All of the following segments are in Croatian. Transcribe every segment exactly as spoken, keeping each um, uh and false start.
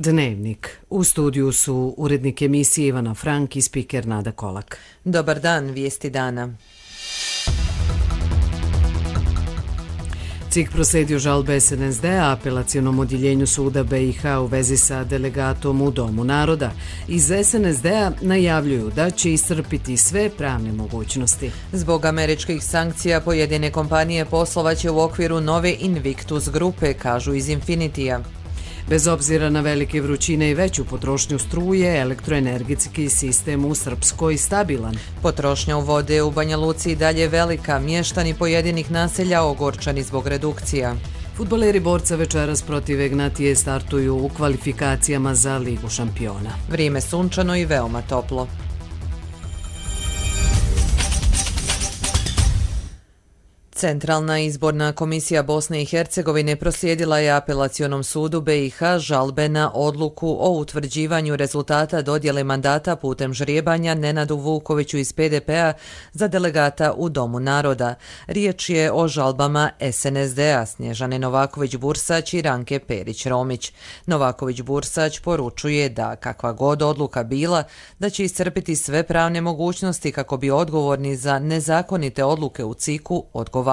Dnevnik. U studiju su urednik emisije Ivana Frank i spiker Nada Kolak. Dobar dan, vijesti dana. C I K prosledio žalbe S N S D-a apelacionom odjeljenju suda B i H u vezi sa delegatom u Domu naroda. Iz S N S D-a najavljuju da će iscrpiti sve pravne mogućnosti. Zbog američkih sankcija pojedine kompanije poslovaće u okviru nove Invictus grupe, kažu iz Infinitija. Bez obzira na velike vrućine i veću potrošnju struje, elektroenergetski sistem u Srpskoj stabilan. Potrošnja u vode u Banja Luci i dalje velika, mještani pojedinih naselja ogorčani zbog redukcija. Fudbaleri Borca večeras protiv Egnatije startuju u kvalifikacijama za Ligu šampiona. Vrijeme sunčano i veoma toplo. Centralna izborna komisija Bosne i Hercegovine proslijedila je apelacionom sudu B i H žalbe na odluku o utvrđivanju rezultata dodjele mandata putem žrijebanja Nenadu Vukoviću iz P D P-a za delegata u Domu naroda. Riječ je o žalbama S N S D-a Snježane Novaković-Bursać i Ranke Perić-Romić. Novaković-Bursać poručuje da kakva god odluka bila, da će iscrpiti sve pravne mogućnosti kako bi odgovorni za nezakonite odluke u C I K-u odgovarali.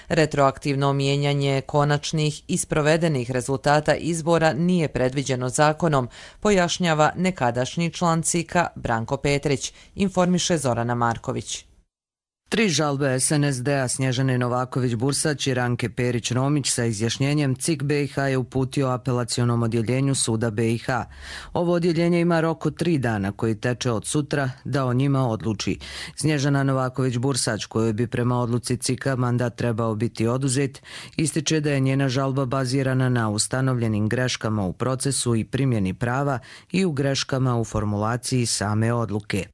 Retroaktivno mijenjanje konačnih i sprovedenih rezultata izbora nije predviđeno zakonom, pojašnjava nekadašnji član C I K-a Branko Petrić, informiše Zorana Marković. Tri žalbe S N S D-a Snježane Novaković-Bursać i Ranke Perić-Romić sa izjašnjenjem C I K B i H je uputio apelacionom odjeljenju suda B i H. Ovo odjeljenje ima rok od tri dana koji teče od sutra da o njima odluči. Snježana Novaković-Bursać, kojoj bi prema odluci C I K-a mandat trebao biti oduzet, ističe da je njena žalba bazirana na ustanovljenim greškama u procesu i primjeni prava i u greškama u formulaciji same odluke.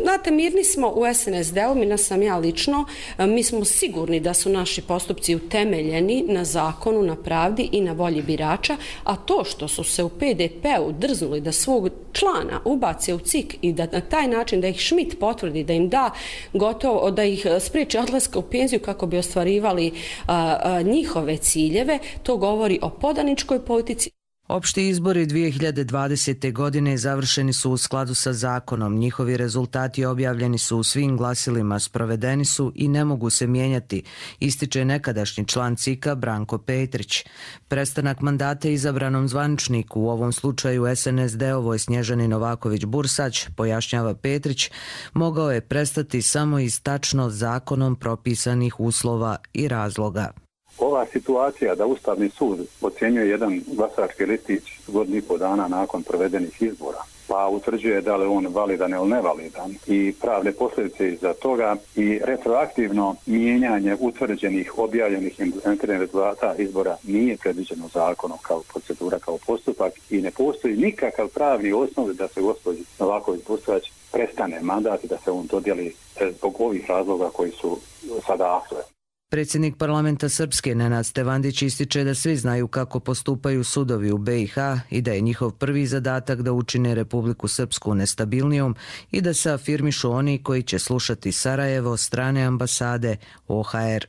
Znate, mirni smo u S N S D-u, mirna sam ja lično, mi smo sigurni da su naši postupci utemeljeni na zakonu, na pravdi i na volji birača, a to što su se u P D P-u drznuli da svog člana ubace u C I K i da na taj način da ih Schmidt potvrdi, da im da gotovo, da ih spriječi odlaska u penziju kako bi ostvarivali a, a, njihove ciljeve, to govori o podaničkoj politici. Opšti izbori dvije hiljade dvadesete. godine završeni su u skladu sa zakonom. Njihovi rezultati objavljeni su u svim glasilima, sprovedeni su i ne mogu se mijenjati, ističe nekadašnji član C I K-a Branko Petrić. Prestanak mandata izabranom zvaničniku, u ovom slučaju S N S D-ovoj Snježani Novaković-Bursać, pojašnjava Petrić, mogao je prestati samo iz tačno zakonom propisanih uslova i razloga. Ova situacija da Ustavni sud ocjenjuje jedan glasački listić godinu i pol dana nakon provedenih izbora, pa utvrđuje da li on validan ili nevalidan i pravne posljedice iza toga i retroaktivno mijenjanje utvrđenih objavljenih internet rezultata izbora nije predviđeno zakonom kao procedura, kao postupak i ne postoji nikakav pravni osnov da se gospođi Novaković-Bursać prestane mandat i da se on dodijeli zbog ovih razloga koji su sada aktualni. Predsjednik parlamenta Srpske Nenad Stevandić ističe da svi znaju kako postupaju sudovi u B i H i da je njihov prvi zadatak da učine Republiku Srpsku nestabilnijom i da se afirmišu oni koji će slušati Sarajevo, strane ambasade, O H R.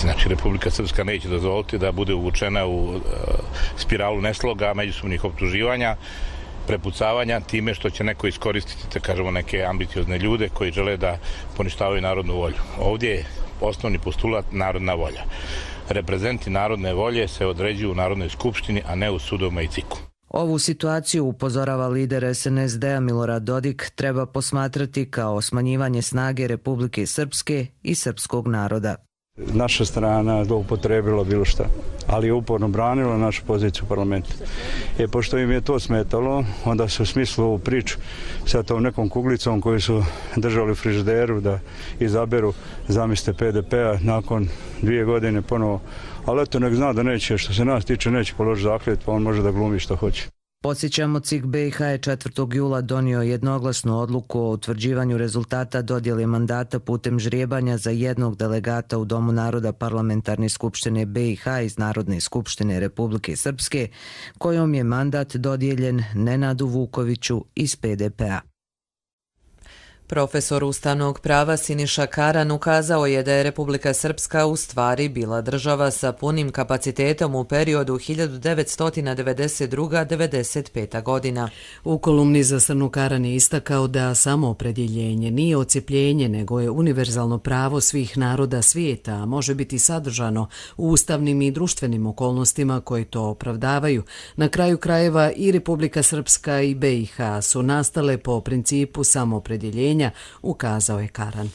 Znači, Republika Srpska neće dozvoliti da bude uvučena u uh, spiralu nesloga, međusobnih optuživanja, prepucavanja time što će neko iskoristiti, da kažemo, neke ambiciozne ljude koji žele da poništavaju narodnu volju. Ovdje je osnovni postulat narodna volja. Reprezenti narodne volje se određuju u Narodnoj skupštini, a ne u sudovima i C I K-u. Ovu situaciju, upozorava lider S N S D-a Milorad Dodik, treba posmatrati kao smanjivanje snage Republike Srpske i srpskog naroda. Naša strana zloupotrebila bilo šta, ali je uporno branila našu poziciju u parlamentu. E, pošto im je to smetalo, onda su u smislu ovu priču sa tom nekom kuglicom koju su držali u frižideru da izaberu zamiste P D P-a nakon dvije godine ponovo. Ali eto, nek zna da neće, što se nas tiče, neće položiti zaklet, pa on može da glumi što hoće. Podsjećamo, C I K B i H je četvrtog jula donio jednoglasnu odluku o utvrđivanju rezultata dodjele mandata putem žrijebanja za jednog delegata u Domu naroda Parlamentarne skupštine B i H iz Narodne skupštine Republike Srpske, kojom je mandat dodijeljen Nenadu Vukoviću iz P D P-a. Profesor ustavnog prava Siniša Karan ukazao je da je Republika Srpska u stvari bila država sa punim kapacitetom u periodu hiljadu devetsto devedeset druga do devedeset peta godina. U kolumni za Srnu Karan je istakao da samoopredjeljenje nije odcjepljenje, nego je univerzalno pravo svih naroda svijeta, a može biti sadržano u ustavnim i društvenim okolnostima koji to opravdavaju. Na kraju krajeva i Republika Srpska i B i H su nastale po principu samoopredjeljenja, ukazao je Karan.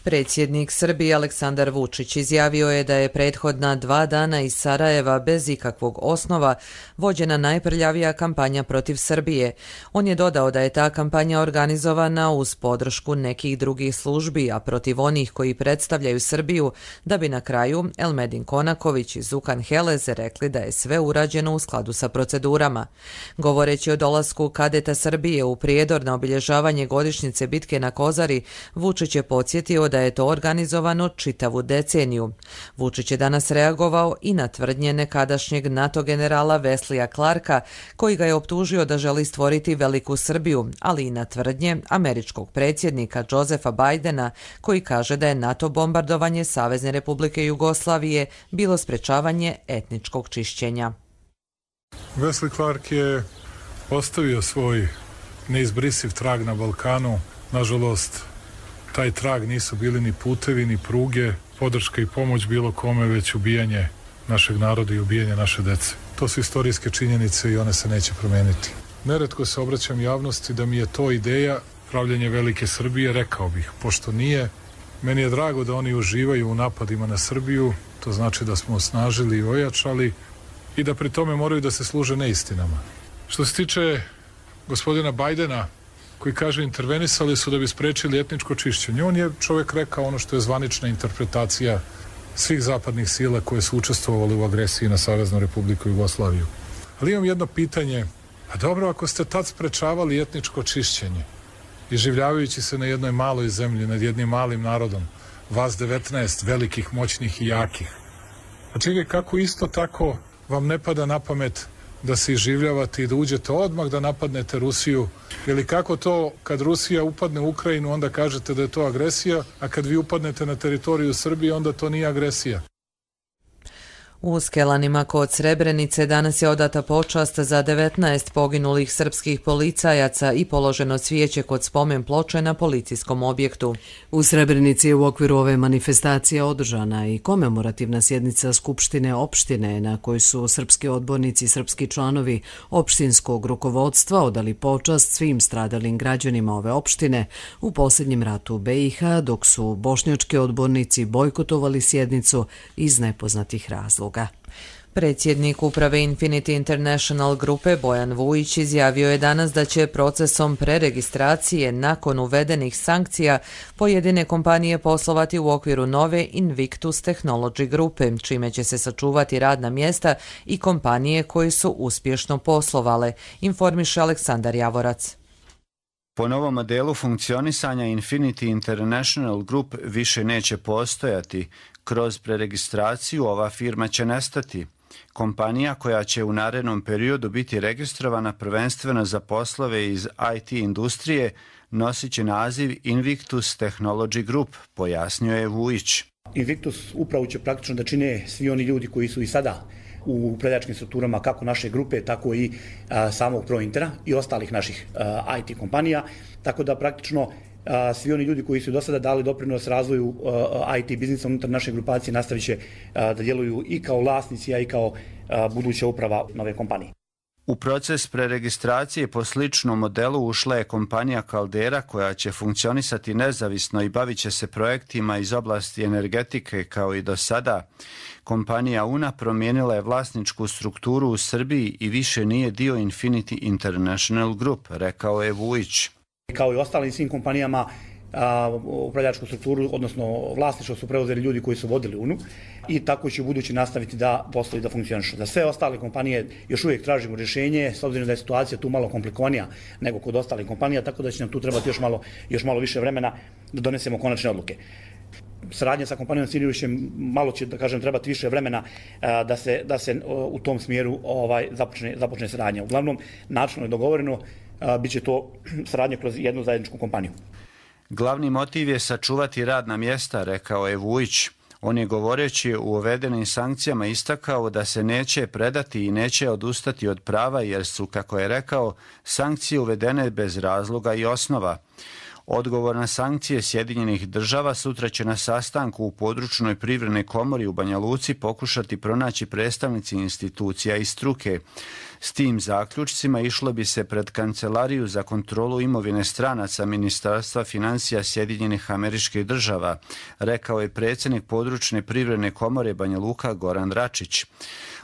Predsjednik Srbije Aleksandar Vučić izjavio je da je prethodna dva dana iz Sarajeva bez ikakvog osnova vođena najprljavija kampanja protiv Srbije. On je dodao da je ta kampanja organizovana uz podršku nekih drugih službi, a protiv onih koji predstavljaju Srbiju, da bi na kraju Elmedin Konaković i Zukan Heleze rekli da je sve urađeno u skladu sa procedurama. Govoreći o dolasku kadeta Srbije u Prijedor na obilježavanje godišnjice bitke na Kozari, Vučić je podsjetio da je to organizovano čitavu deceniju. Vučić je danas reagovao i na tvrdnje nekadašnjeg NATO generala Weslija Clarka, koji ga je optužio da želi stvoriti veliku Srbiju, ali i na tvrdnje američkog predsjednika Josefa Bidena, koji kaže da je NATO bombardovanje Savezne Republike Jugoslavije bilo sprečavanje etničkog čišćenja. Wesley Clark je ostavio svoj neizbrisiv trag na Balkanu. Nažalost, taj trag nisu bili ni putevi, ni pruge, podrška i pomoć bilo kome, već ubijanje našeg naroda i ubijanje naše dece. To su istorijske činjenice i one se neće promeniti. Neretko se obraćam javnosti da mi je to ideja pravljenje velike Srbije, rekao bih, pošto nije. Meni je drago da oni uživaju u napadima na Srbiju, to znači da smo osnažili i ojačali i da pri tome moraju da se služe neistinama. Što se tiče gospodina Bajdena, koji kaže intervenisali su da bi sprečili etničko čišćenje. On je čovjek rekao ono što je zvanična interpretacija svih zapadnih sila koje su učestvovali u agresiji na Saveznu Republiku Jugoslaviju. Ali imam jedno pitanje. A dobro, ako ste tad sprečavali etničko čišćenje i življavajući se na jednoj maloj zemlji, nad jednim malim narodom, vas devetnaest velikih, moćnih i jakih. A čekaj, kako isto tako vam ne pada na pamet da se iživljavate i da uđete odmah da napadnete Rusiju, ili kako to kad Rusija upadne u Ukrajinu onda kažete da je to agresija, a kad vi upadnete na teritoriju Srbije onda to nije agresija. U Skelanima kod Srebrenice danas je odata počast za devetnaest poginulih srpskih policajaca i položeno cvijeće kod spomen ploče na policijskom objektu. U Srebrenici je u okviru ove manifestacije održana i komemorativna sjednica Skupštine opštine na kojoj su srpski odbornici i srpski članovi opštinskog rukovodstva odali počast svim stradalim građanima ove opštine u posljednjem ratu B i H, dok su bošnjački odbornici bojkotovali sjednicu iz nepoznatih razloga. Predsjednik uprave Infinity International grupe Bojan Vujić izjavio je danas da će procesom preregistracije nakon uvedenih sankcija pojedine kompanije poslovati u okviru nove Invictus Technology grupe, čime će se sačuvati radna mjesta i kompanije koje su uspješno poslovale, informiše Aleksandar Javorac. Po novom modelu funkcionisanja Infinity International Group više neće postojati. Kroz preregistraciju ova firma će nestati. Kompanija koja će u narednom periodu biti registrovana prvenstveno za poslove iz I T industrije nosit će naziv Invictus Technology Group, pojasnio je Vujić. Invictus upravo će praktično da čine svi oni ljudi koji su i sada u upravljačkim strukturama kako naše grupe, tako i a, samog ProIntera i ostalih naših a, I T kompanija, tako da praktično a, svi oni ljudi koji su do sada dali doprinos razvoju a, I T biznisa unutar naše grupacije nastavit će a, da djeluju i kao vlasnici, a i kao a, buduća uprava nove kompanije. U proces preregistracije po sličnom modelu ušla je kompanija Caldera koja će funkcionisati nezavisno i bavit će se projektima iz oblasti energetike kao i do sada. Kompanija Una promijenila je vlasničku strukturu u Srbiji i više nije dio Infinity International Group, rekao je Vujić. Kao i ostalim svim kompanijama, a, upravljačku strukturu, odnosno vlasništvo su preuzeli ljudi koji su vodili Unu i tako će u budući nastaviti da posluju i da funkcionišu. Za sve ostale kompanije još uvijek tražimo rješenje, s obzirom da je situacija tu malo komplikovanija nego kod ostalih kompanija, tako da će nam tu trebati još malo, još malo više vremena da donesemo konačne odluke. Saradnja sa kompanijom Siriušem malo će, da kažem, trebati više vremena a, da se, da se u tom smjeru ovaj, započne, započne saradnja. Uglavnom, načelno je dogovoreno, a, bit će to saradnja kroz jednu zajedničku kompaniju. Glavni motiv je sačuvati radna mjesta, rekao je Vujić. On je govoreći o uvedenim sankcijama istakao da se neće predati i neće odustati od prava jer su, kako je rekao, sankcije uvedene bez razloga i osnova. Odgovor na sankcije Sjedinjenih država sutra će na sastanku u područnoj privrednoj komori u Banja Luci pokušati pronaći predstavnici institucija i struke. S tim zaključcima išlo bi se pred Kancelariju za kontrolu imovine stranaca Ministarstva financija Sjedinjenih Američkih Država, rekao je predsjednik područne privredne komore Banja Luka Goran Račić.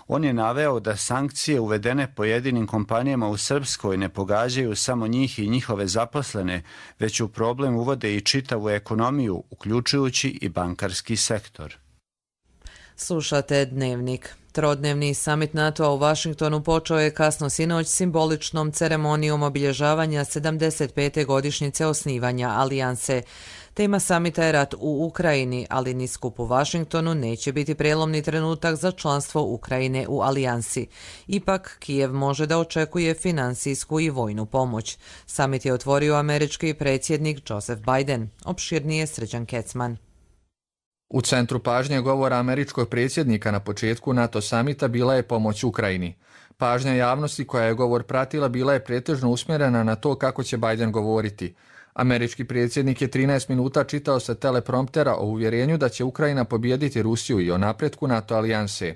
On je naveo da sankcije uvedene pojedinim kompanijama u Srpskoj ne pogađaju samo njih i njihove zaposlene, već u problem uvode i čitavu ekonomiju, uključujući i bankarski sektor. Slušate Dnevnik. Trodnevni samit NATO-a u Vašingtonu počeo je kasno sinoć simboličnom ceremonijom obilježavanja sedamdeset pete godišnjice osnivanja alijanse. Tema samita je rat u Ukrajini, ali ni skup u Vašingtonu neće biti prelomni trenutak za članstvo Ukrajine u alijansi. Ipak, Kijev može da očekuje finansijsku i vojnu pomoć. Samit je otvorio američki predsjednik Joseph Biden. Opširnije Srđan Kecman. U centru pažnje govora američkog predsjednika na početku NATO samita bila je pomoć Ukrajini. Pažnja javnosti koja je govor pratila bila je pretežno usmjerena na to kako će Biden govoriti. Američki predsjednik je trinaest minuta čitao sa telepromptera o uvjerenju da će Ukrajina pobijediti Rusiju i o napretku NATO alijanse.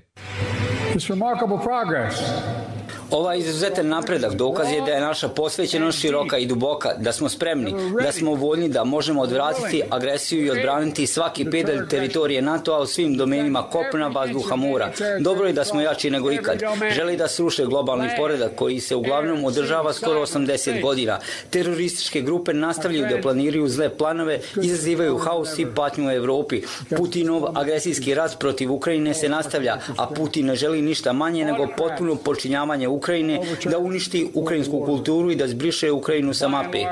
Ovaj izuzetan napredak dokaz je da je naša posvećenost široka i duboka, da smo spremni, da smo voljni da možemo odvratiti agresiju i odbraniti svaki pedalj teritorije NATO-a u svim domenima kopna, vazduha, mora. Dobro je da smo jači nego ikad. Želi da sruše globalni poredak koji se uglavnom održava skoro osamdeset godina. Terorističke grupe nastavljaju da planiraju zle planove, izazivaju haos i patnju u Evropi. Putinov agresijski rat protiv Ukrajine se nastavlja, a Putin ne želi ništa manje nego potpuno počinjavanje Ukrajine, da uništi ukrajinsku kulturu i da zbriše Ukrajinu sa mape.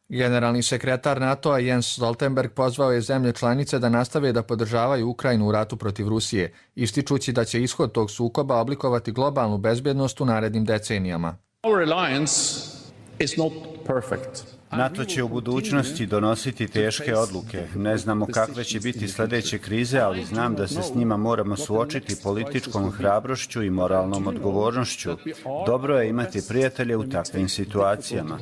Generalni sekretar NATO-a Jens Stoltenberg pozvao je zemlje članice da nastave da podržavaju Ukrajinu u ratu protiv Rusije, ističući da će ishod tog sukoba oblikovati globalnu bezbjednost u narednim decenijama. NATO će u budućnosti donositi teške odluke. Ne znamo kakve će biti sljedeće krize, ali znam da se s njima moramo suočiti političkom hrabrošću i moralnom odgovornošću. Dobro je imati prijatelje u takvim situacijama.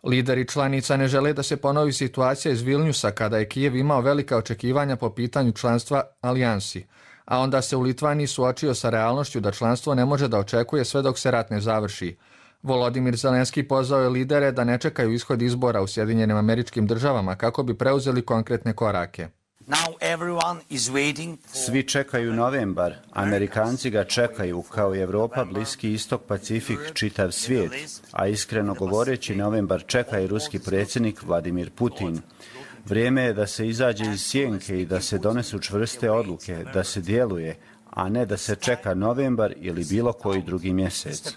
Lideri članica ne žele da se ponovi situacija iz Vilniusa kada je Kijev imao velika očekivanja po pitanju članstva alijansi, a onda se u Litvaniji suočio sa realnošću da članstvo ne može da očekuje sve dok se rat ne završi. Volodimir Zelenski pozvao je lidere da ne čekaju ishod izbora u Sjedinjenim Američkim Državama kako bi preuzeli konkretne korake. Svi čekaju novembar, Amerikanci ga čekaju kao i Evropa, Bliski istok, Pacifik, čitav svijet, a iskreno govoreći novembar čeka i ruski predsjednik Vladimir Putin. Vrijeme je da se izađe iz sjenke i da se donesu čvrste odluke, da se djeluje, a ne da se čeka novembar ili bilo koji drugi mjesec.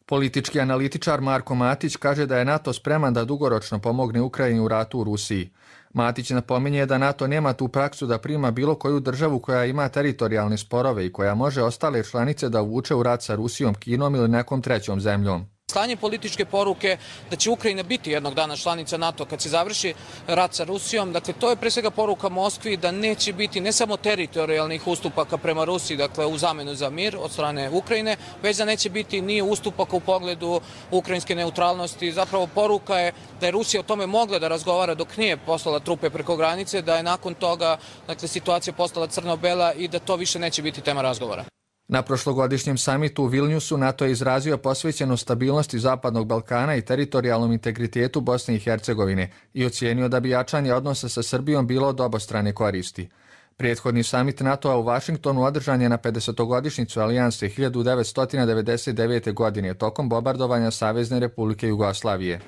Politički analitičar Marko Matić kaže da je NATO spreman da dugoročno pomogne Ukrajini u ratu u Rusiji. Matić napominje da NATO nema tu praksu da prima bilo koju državu koja ima teritorijalne sporove i koja može ostale članice da uvuče u rat sa Rusijom, Kinom ili nekom trećom zemljom. Slanje političke poruke da će Ukrajina biti jednog dana članica NATO kad se završi rat sa Rusijom, dakle to je pre svega poruka Moskvi da neće biti ne samo teritorijalnih ustupaka prema Rusiji, dakle u zamenu za mir od strane Ukrajine, već da neće biti ni ustupaka u pogledu ukrajinske neutralnosti. Zapravo poruka je da je Rusija o tome mogla da razgovara dok nije poslala trupe preko granice, da je nakon toga dakle, situacija postala crno-bela i da to više neće biti tema razgovora. Na prošlogodišnjem samitu u Vilniusu NATO je izrazio posvećenost stabilnosti Zapadnog Balkana i teritorijalnom integritetu Bosne i Hercegovine i ocijenio da bi jačanje odnosa sa Srbijom bilo od obostrane koristi. Prethodni samit NATO-a u Vašingtonu održan je na pedesetogodišnjicu alijanse hiljadu devetsto devedeset devete. godine tokom bombardovanja Savezne Republike Jugoslavije.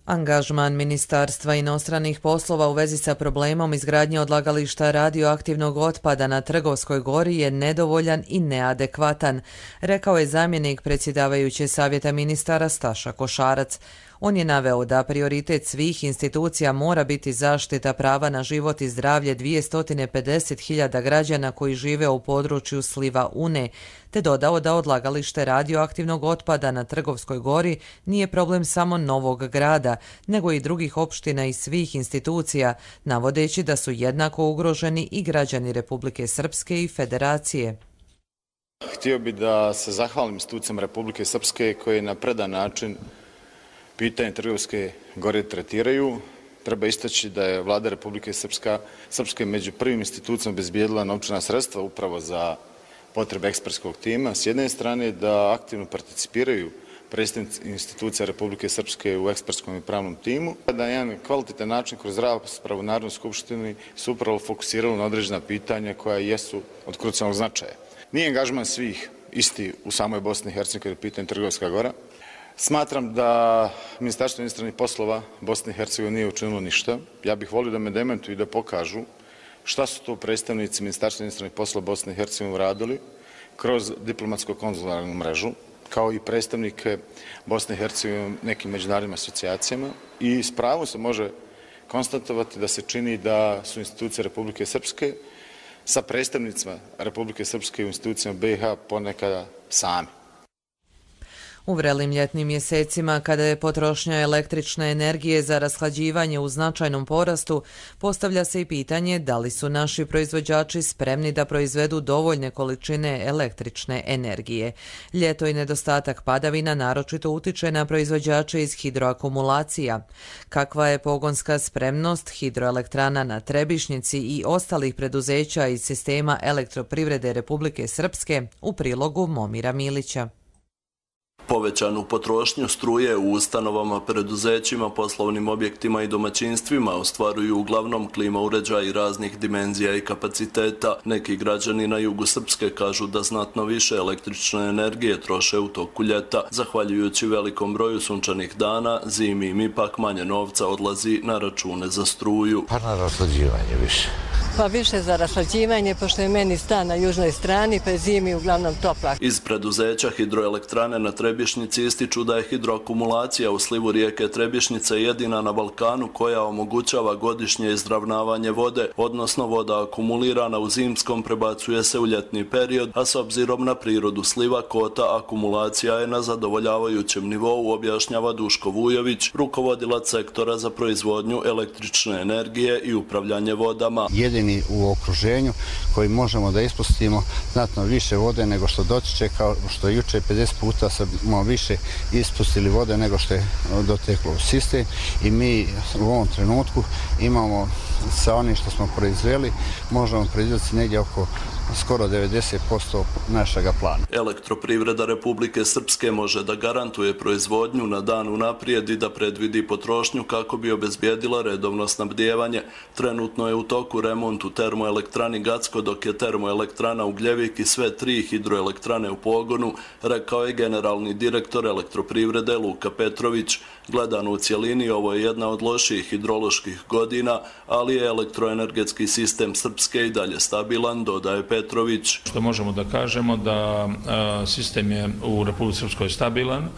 Angažman Ministarstva inostranih poslova u vezi sa problemom izgradnje odlagališta radioaktivnog otpada na Trgovskoj gori je nedovoljan i neadekvatan, rekao je zamjenik predsjedavajuće savjeta ministara Staša Košarac. On je naveo da prioritet svih institucija mora biti zaštita prava na život i zdravlje dvjesto pedeset hiljada građana koji žive u području sliva Une, te dodao da odlagalište radioaktivnog otpada na Trgovskoj gori nije problem samo Novog Grada, nego i drugih opština i svih institucija, navodeći da su jednako ugroženi i građani Republike Srpske i Federacije. Htio bi da se zahvalim institucijama Republike Srpske koje na predan način pitanje Trgovske gore tretiraju. Treba istaći da je Vlada Republike Srpska, Srpske među prvim institucijama obezbijedila novčana sredstva upravo za potrebe ekspertskog tima. S jedne strane da aktivno participiraju predstavnici institucija Republike Srpske u ekspertskom i pravnom timu, da na jedan kvalitetan način kroz raspravu u Narodnoj skupštini su upravo fokusirali na određena pitanja koja jesu od krucijalnog značaja. Nije angažman svih isti u samoj Bosni i Hercegovini kada je pitanje Trgovska gora. Smatram da Ministarstvo inostranih poslova Bosne i Hercegovine nije učinilo ništa. Ja bih volio da me demantuju i da pokažu šta su to predstavnici Ministarstva inostranih poslova Bosne i Hercegovine uradili kroz diplomatsko-konzularnu mrežu, kao i predstavnike Bosne i Hercegovine nekim međunarodnim asocijacijama, i s pravom se može konstatovati da se čini da su institucije Republike Srpske sa predstavnicima Republike Srpske u institucijama B i H ponekada sami. U vrelim ljetnim mjesecima, kada je potrošnja električne energije za rashlađivanje u značajnom porastu, postavlja se i pitanje da li su naši proizvođači spremni da proizvedu dovoljne količine električne energije. Ljeto i nedostatak padavina naročito utiče na proizvođače iz hidroakumulacija. Kakva je pogonska spremnost hidroelektrana na Trebišnjici i ostalih preduzeća iz sistema elektroprivrede Republike Srpske, u prilogu Momira Milića. Povećanu potrošnju struje u ustanovama, preduzećima, poslovnim objektima i domaćinstvima ostvaruju uglavnom klima uređaji raznih dimenzija i kapaciteta. Neki građani na jugu Srpske kažu da znatno više električne energije troše u toku ljeta. Zahvaljujući velikom broju sunčanih dana, zimi im ipak manje novca odlazi na račune za struju. Pa na rashlađivanje više. Pa više za rashlađivanje, pošto je meni stan na južnoj strani, pa je zimi uglavnom toplak. Iz preduzeća hidroelektrane na Trebišnjici ističu da je hidroakumulacija u slivu rijeke Trebišnjice jedina na Balkanu koja omogućava godišnje izravnavanje vode, odnosno voda akumulirana u zimskom prebacuje se u ljetni period, a s obzirom na prirodu sliva Kota akumulacija je na zadovoljavajućem nivou, objašnjava Duško Vujović, rukovodilac sektora za proizvodnju električne energije i upravljanje vodama. Jedini u okruženju koji možemo da ispustimo znatno više vode nego što dotiče, kao što juče pedeset puta smo više ispustili vode nego što je doteklo u sistem, i mi u ovom trenutku imamo sa onim što smo proizveli, možemo proizvesti negdje oko skoro devedeset posto našega plana. Elektroprivreda Republike Srpske može da garantuje proizvodnju na dan unaprijed i da predvidi potrošnju kako bi obezbijedila redovno snabdijevanje. Trenutno je u toku remont u termoelektrani Gacko, dok je termoelektrana Ugljevik i sve tri hidroelektrane u pogonu, rekao je generalni direktor elektroprivrede Luka Petrović. Gledano u cjelini, ovo je jedna od lošijih hidroloških godina, ali je elektroenergetski sistem Srpske i dalje stabilan, dodaje Petrović. Što možemo da kažemo da a, sistem je u Republici Srpskoj stabilan.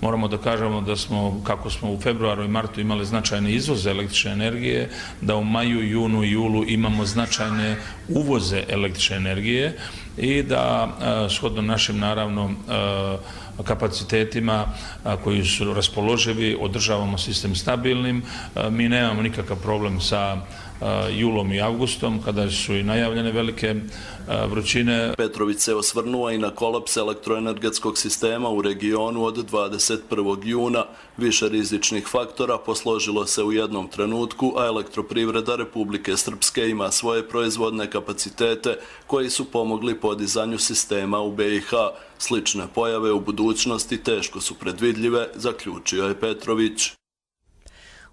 Moramo da kažemo da smo, kako smo u februaru i martu imali značajne izvoze električne energije, da u maju, junu i julu imamo značajne uvoze električne energije i da a, shodno našim naravno a, kapacitetima a, koji su raspoloživi, održavamo sistem stabilnim. A, mi nemamo nikakav problem sa julom i avgustom, kada su i najavljene velike vrućine. Petrović se osvrnuo i na kolaps elektroenergetskog sistema u regionu od dvadeset prvog juna. Više rizičnih faktora posložilo se u jednom trenutku, a elektroprivreda Republike Srpske ima svoje proizvodne kapacitete koji su pomogli podizanju sistema u B i H. Slične pojave u budućnosti teško su predvidljive, zaključio je Petrović.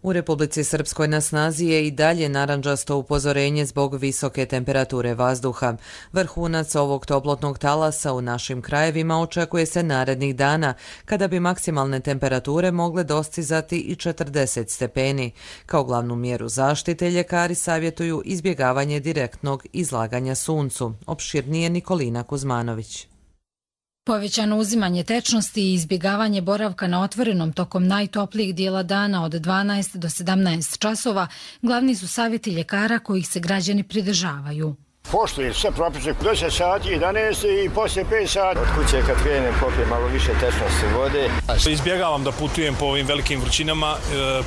U Republici Srpskoj na snazi je i dalje narandžasto upozorenje zbog visoke temperature vazduha. Vrhunac ovog toplotnog talasa u našim krajevima očekuje se narednih dana, kada bi maksimalne temperature mogle dostizati i četrdeset stepeni. Kao glavnu mjeru zaštite ljekari savjetuju izbjegavanje direktnog izlaganja suncu. Opširnije Nikolina Kuzmanović. Povećano uzimanje tečnosti i izbjegavanje boravka na otvorenom tokom najtoplijeg dijela dana od dvanaest do sedamnaest časova glavni su savjeti ljekara kojih se građani pridržavaju. Poštujem sve propise, deset sati, jedanaest i poslije pet sati. Od kuće kad krenem popijem malo više tečnosti vode. Izbjegavam da putujem po ovim velikim vrućinama,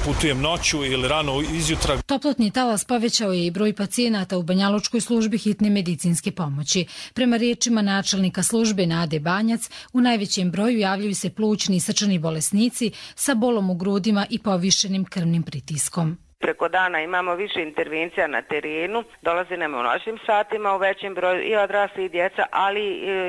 putujem noću ili rano izjutra. Toplotni talas povećao je i broj pacijenata u Banjalučkoj službi hitne medicinske pomoći. Prema riječima načelnika službe Nade Banjac, u najvećem broju javljaju se plućni i srčani bolesnici sa bolom u grudima i povišenim krvnim pritiskom. Preko dana imamo više intervencija na terenu, dolazi nam u noćnim satima u većem broju i odrasli i djeca, ali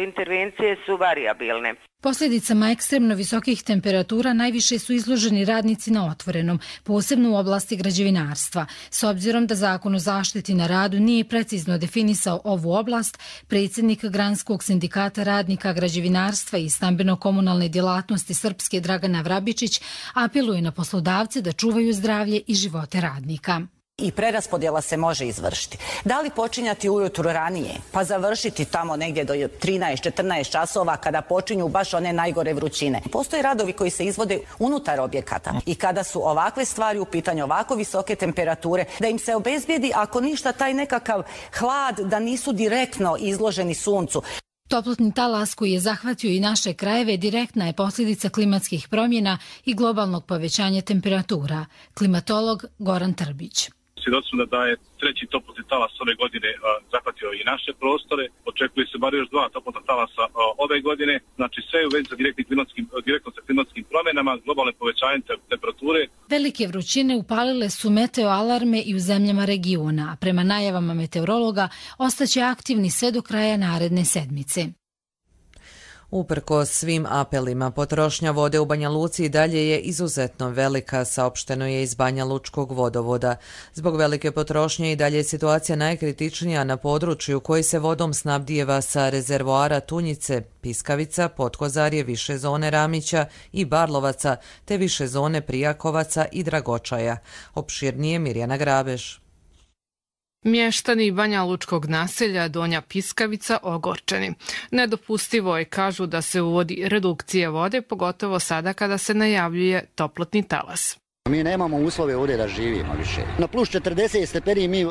intervencije su varijabilne. Posljedicama ekstremno visokih temperatura najviše su izloženi radnici na otvorenom, posebno u oblasti građevinarstva. S obzirom da Zakon o zaštiti na radu nije precizno definisao ovu oblast, predsjednik Granskog sindikata radnika građevinarstva i stambeno-komunalne djelatnosti Srpske Dragana Vrabičić apeluje na poslodavce da čuvaju zdravlje i živote radnika. I preraspodjela se može izvršiti. Da li počinjati ujutru ranije, pa završiti tamo negdje do trinaest četrnaest časova kada počinju baš one najgore vrućine. Postoje radovi koji se izvode unutar objekata i kada su ovakve stvari u pitanju, ovako visoke temperature, da im se obezbijedi ako ništa taj nekakav hlad, da nisu direktno izloženi suncu. Toplotni talas koji je zahvatio i naše krajeve direktna je posljedica klimatskih promjena i globalnog povećanja temperatura. Klimatolog Goran Trbić. Svjedoci smo da je treći toplotni talas ove godine a, zahvatio i naše prostore. Očekuje se bar još dva toplotna talasa a, ove godine. Znači sve u vezi sa direktno sa klimatskim promjenama, globalne povećanje temperature. Velike vrućine upalile su meteo alarme i u zemljama regiona, a prema najavama meteorologa ostaće aktivni sve do kraja naredne sedmice. Uprkos svim apelima, potrošnja vode u Banja Luci i dalje je izuzetno velika, saopšteno je iz Banja Lučkog vodovoda. Zbog velike potrošnje i dalje je situacija najkritičnija na području koji se vodom snabdijeva sa rezervoara Tunjice, Piskavica, Potkozarje, više zone Ramića i Barlovaca, te više zone Prijakovaca i Dragočaja. Opširnije Mirjana Grabež. Mještani Banja Lučkog naselja Donja Piskavica ogorčeni. Nedopustivo je, kažu, da se uvodi redukcija vode, pogotovo sada kada se najavljuje toplotni talas. Mi nemamo uslove ovdje da živimo više. Na plus četrdeset stepeni mi e,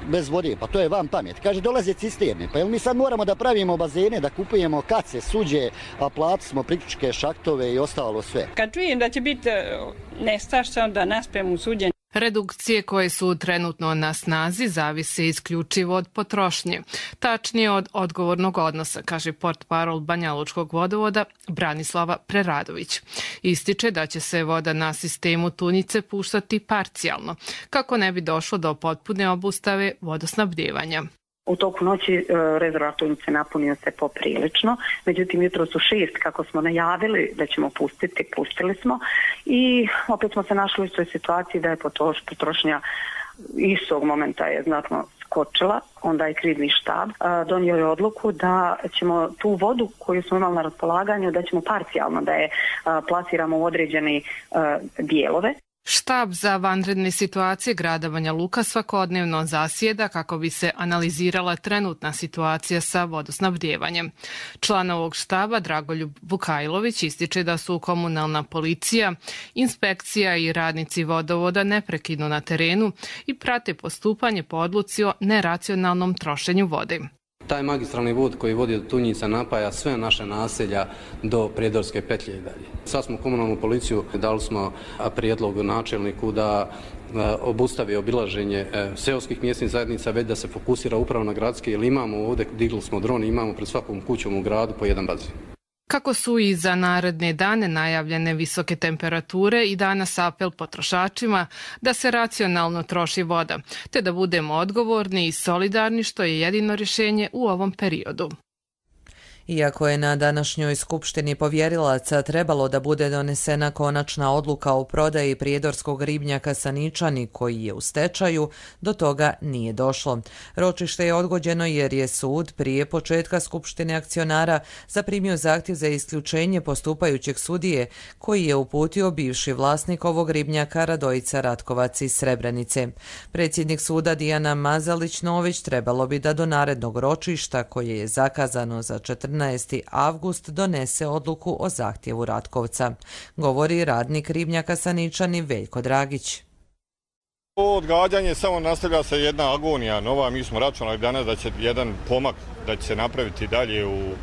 bez vode, pa to je van pamet. Kaže, dolaze cisterne, pa jel mi sad moramo da pravimo bazene, da kupujemo kace, suđe, a platili smo priključke, šaktove i ostalo sve. Kad čujem da će biti nestašće, onda naspem u suđenje. Redukcije koje su trenutno na snazi zavise isključivo od potrošnje, tačnije od odgovornog odnosa, kaže portparol Banja Lučkog vodovoda Branislava Preradović. Ističe da će se voda na sistemu Tunjice puštati parcijalno, kako ne bi došlo do potpune obustave vodosnabdijevanja. U toku noći rezervoar Tunjice napunio se poprilično, međutim jutro su šest kako smo najavili da ćemo pustiti, pustili smo i opet smo se našli u toj situaciji da je potrošnja istog momenta je znatno skočila. Onda je krizni štab donio je odluku da ćemo tu vodu koju smo imali na raspolaganju, da ćemo parcijalno da je plasiramo u određene dijelove. Štab za vanredne situacije grada Banja Luka svakodnevno zasjeda kako bi se analizirala trenutna situacija sa vodosnabdijevanjem. Član ovog štaba Dragoljub Vukajlović ističe da su komunalna policija, inspekcija i radnici vodovoda neprekidno na terenu i prate postupanje po odluci o neracionalnom trošenju vode. Taj magistralni vod koji vodi od Tunjica napaja sve naše naselja do Prijedorske petlje i dalje. Sad smo komunalnu policiju, dali smo prijedlog načelniku da obustavi obilaženje seoskih mjesnih zajednica, već da se fokusira upravo na gradske, jer imamo ovdje, digli smo dron i imamo pred svakom kućom u gradu po jedan bazen. Kako su i za naredne dane najavljene visoke temperature i danas apel potrošačima da se racionalno troši voda, te da budemo odgovorni i solidarni, što je jedino rješenje u ovom periodu. Iako je na današnjoj skupštini povjerilaca trebalo da bude donesena konačna odluka o prodaji prijedorskog ribnjaka Saničani koji je u stečaju, do toga nije došlo. Ročište je odgođeno jer je sud prije početka skupštine akcionara zaprimio zahtjev za isključenje postupajućeg sudije koji je uputio bivši vlasnik ovog ribnjaka Radojica Ratkovac iz Srebrenice. Predsjednik suda Dijana Mazalić-Nović trebalo bi da do narednog ročišta koje je zakazano za četrnaestog četrnaesti avgust donese odluku o zahtjevu Ratkovca, govori radnik ribnjaka Saničani Veljko Dragić. Ovo odgađanje samo nastavlja se jedna agonija nova, mi smo računali danas da će jedan pomak, da će se napraviti dalje, u,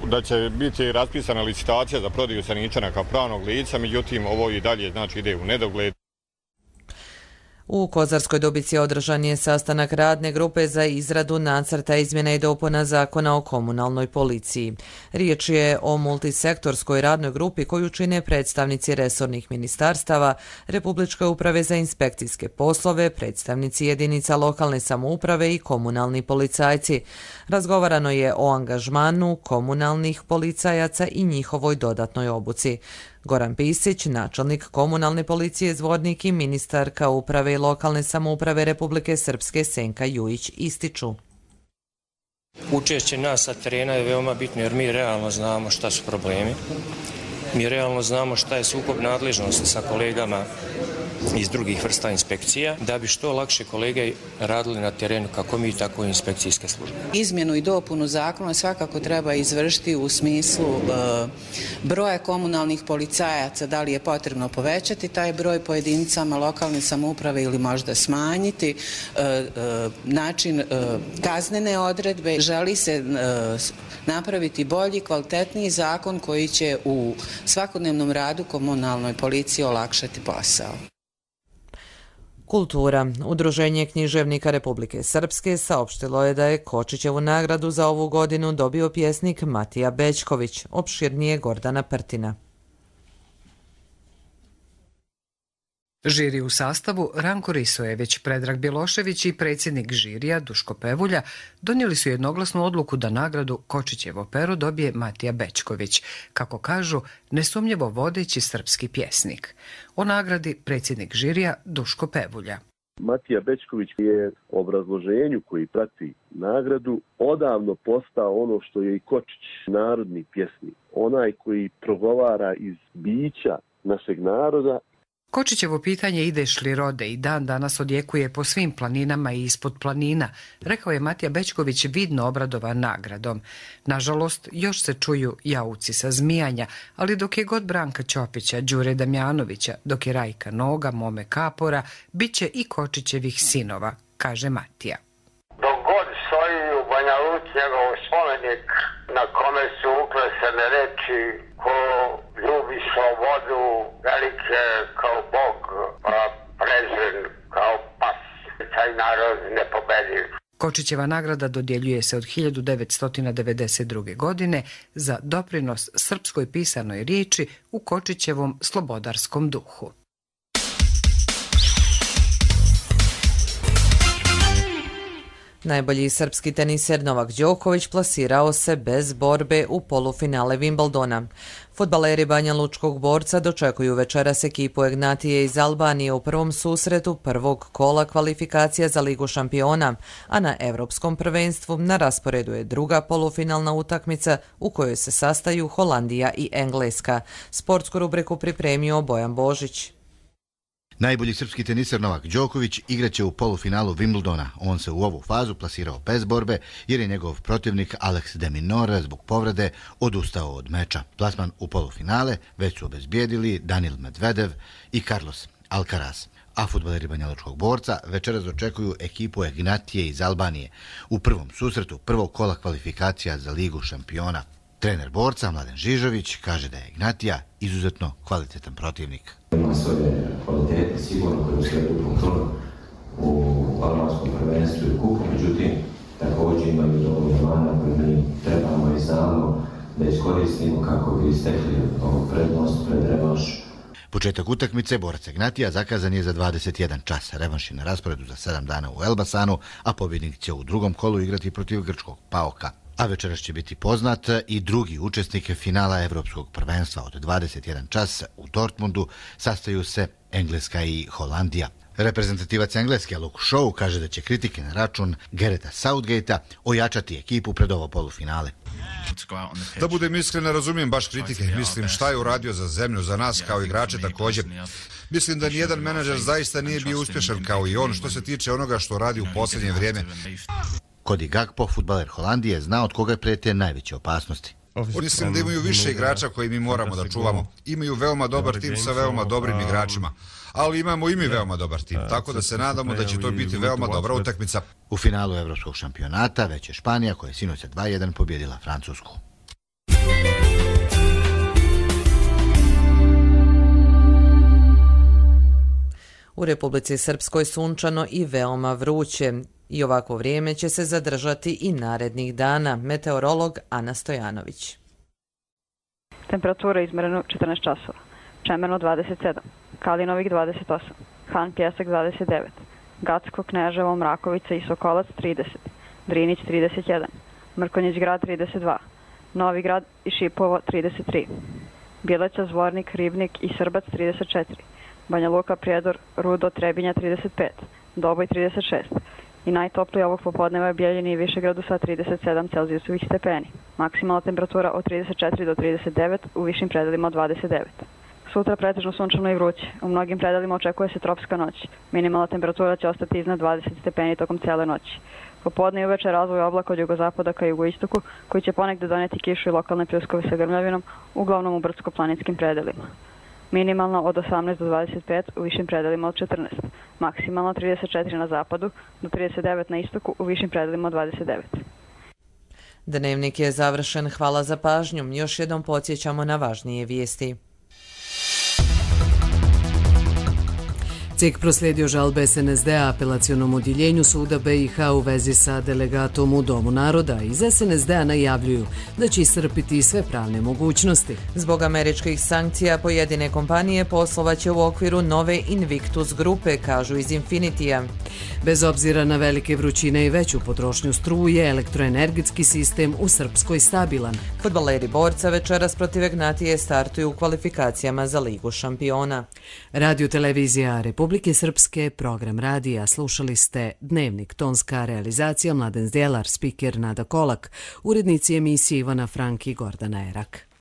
da će biti raspisana licitacija za prodaju Saničana kao pravnog lica, međutim ovo i dalje znači ide u nedogled. U Kozarskoj Dubici održan je sastanak radne grupe za izradu nacrta izmjena i dopuna Zakona o komunalnoj policiji. Riječ je o multisektorskoj radnoj grupi koju čine predstavnici resornih ministarstava, Republičke uprave za inspekcijske poslove, predstavnici jedinica lokalne samouprave i komunalni policajci. Razgovarano je o angažmanu komunalnih policajaca i njihovoj dodatnoj obuci. Goran Pisić, načelnik komunalne policije Zvornik i ministarka uprave i lokalne samouprave Republike Srpske Senka Jujić ističu. Učešće nas sa terena je veoma bitno jer mi realno znamo šta su problemi. Mi realno znamo šta je sukob nadležnosti sa kolegama iz drugih vrsta inspekcija, da bi što lakše kolege radili na terenu kako mi, tako i inspekcijske službe. Izmjenu i dopunu zakona svakako treba izvršiti u smislu e, broja komunalnih policajaca, da li je potrebno povećati taj broj po jedinicama lokalne samouprave ili možda smanjiti, e, e, način e, kaznene odredbe. Želi se e, napraviti bolji, kvalitetniji zakon koji će u svakodnevnom radu komunalnoj policiji olakšati posao. Kultura. Udruženje književnika Republike Srpske saopštilo je da je Kočićevu nagradu za ovu godinu dobio pjesnik Matija Bećković, opširnije Gordana Prtina. Žiri u sastavu Ranko Risojević, Predrag Bjelošević i predsjednik žirija Duško Pevulja donijeli su jednoglasnu odluku da nagradu Kočićevo pero dobije Matija Bećković, kako kažu, nesumnjivo vodeći srpski pjesnik. O nagradi predsjednik žirija Duško Pevulja. Matija Bećković je u obrazloženju koji prati nagradu odavno postao ono što je i Kočić, narodni pjesnik, onaj koji progovara iz bića našeg naroda. Kočićevo pitanje ideš li rode i dan danas odjekuje po svim planinama i ispod planina, rekao je Matija Bećković vidno obradovan nagradom. Nažalost, još se čuju jauci sa Zmijanja, ali dok je god Branka Ćopića, Đure Damjanovića, dok je Rajka Noga, Mome Kapora, bit će i Kočićevih sinova, kaže Matija. Dok god stoji u Banja Luci njegov spomenik na kome su uklesane reči ko ljubi slobodu, velike kao Bog, a prezren kao pas, taj narod nepobediv. Kočićeva nagrada dodjeljuje se od hiljadu devetsto devedeset druge. godine za doprinos srpskoj pisanoj riječi u Kočićevom slobodarskom duhu. Najbolji srpski teniser Novak Đoković plasirao se bez borbe u polufinale Wimbledona. Fudbaleri Banja Lučkog Borca dočekuju večeras ekipu Ignatije iz Albanije u prvom susretu prvog kola kvalifikacija za Ligu šampiona, a na Evropskom prvenstvu na rasporedu je druga polufinalna utakmica u kojoj se sastaju Holandija i Engleska. Sportsku rubriku pripremio Bojan Božić. Najbolji srpski teniser Novak Đoković igraće u polufinalu Wimbledona. On se u ovu fazu plasirao bez borbe jer je njegov protivnik Alex de Minaur zbog povrede odustao od meča. Plasman u polufinale već su obezbijedili Daniil Medvedev i Carlos Alcaraz. A fudbaleri Banja Lučkog Borca večeras očekuju ekipu Ignatije iz Albanije u prvom susretu prvog kola kvalifikacija za Ligu šampiona. Trener Borca, Mladen Žižović, kaže da je Ignatija izuzetno kvalitetan protivnik. Ima svoje kvalitete, sigurno koje se u kontrolu u albanskom prvenstvu i kupu, međutim, također imaju dovoljno mana koje mi trebamo i znamo da iskoristimo kako bi stekli ovu prednost pred revanš. Početak utakmice borac Ignatija zakazan je za dvadeset jedan čas. Revanš je na rasporedu za sedam dana u Elbasanu, a pobjednik će u drugom kolu igrati protiv grčkog Paoka. A večeras će biti poznat i drugi učesnik finala Evropskog prvenstva od dvadeset jedan čas u Dortmundu. Sastaju se Engleska i Holandija. Reprezentativac Engleske Luke Shaw kaže da će kritike na račun Gareta Southgatea ojačati ekipu pred ovo polufinale. Da budem iskren, ne razumijem baš kritike. Mislim šta je uradio za zemlju, za nas kao igrače također. Mislim da nijedan menadžer zaista nije bio uspješan kao i on što se tiče onoga što radi u posljednje vrijeme. Cody Gakpo, fudbaler Holandije, zna od koga prete najveće opasnosti. Mislim da imaju više igrača koji mi moramo da čuvamo. Imaju veoma dobar tim sa veoma dobrim igračima. Ali imamo i mi veoma dobar tim, tako da se nadamo da će to biti veoma dobra utakmica. U finalu evropskog šampionata već je Španija koja je sinoć dva jedan pobjedila Francusku. U Republici Srpskoj sunčano i veoma vruće. I ovako vrijeme će se zadržati i narednih dana. Meteorolog Ana Stojanović. Temperatura izmerena četrnaest časova. Čemerno dvadeset sedam. Kalinovik dvadeset osam. Han Pjesak dvadeset devet. Gacko, Kneževo, Mrakovica i Sokolac trideset. Drinić trideset jedan. Mrkonjić grad trideset dva. Novi grad i Šipovo trideset tri. Bjeleća, Zvornik, Ribnik i Srbac trideset četiri. Banja Luka, Prijedor, Rudo, Trebinja trideset pet. Doboj trideset šest. I najtoplije ovog popodneva je Bjeljini i Višegradu sa trideset sedam Celzijusovih stepeni. Maksimalna temperatura od trideset četiri do trideset devet, u višim predelima od dvadeset devet. Sutra pretežno sunčano i vruće. U mnogim predelima očekuje se tropska noć. Minimalna temperatura će ostati iznad dvadeset stepeni tokom cijele noći. Popodne i uveče razvoj oblaka od jugozapada ka jugoistoku, koji će ponegde doneti kišu i lokalne pljuskove sa grmljavinom, uglavnom u brdsko-planinskim predelima. Minimalna od osamnaest do dvadeset pet, u višim predelima od četrnaest. Maksimalno trideset četiri na zapadu, do trideset devet na istoku, u višim predelima od dvadeset devet. Dnevnik je završen. Hvala za pažnju. Još jednom podsjećamo na važnije vijesti. C I K proslijedio žalbe S N S D-a apelacionom odjeljenju suda B i H u vezi sa delegatom u Domu naroda. Iz S N S D-a najavljuju da će iscrpiti sve pravne mogućnosti. Zbog američkih sankcija pojedine kompanije poslovaće u okviru nove Invictus grupe, kažu iz Infinitija. Bez obzira na velike vrućine i veću potrošnju struje, elektroenergetski sistem u Srpskoj stabilan. Fudbaleri Borca večeras protiv Egnatije startuju u kvalifikacijama za Ligu šampiona. Radio televizija Republike Srpske, program radija. Slušali ste Dnevnik, tonska realizacija Mladen Zdjelar, spiker Nada Kolak, urednici emisije Ivana Frank i Gordana Erak.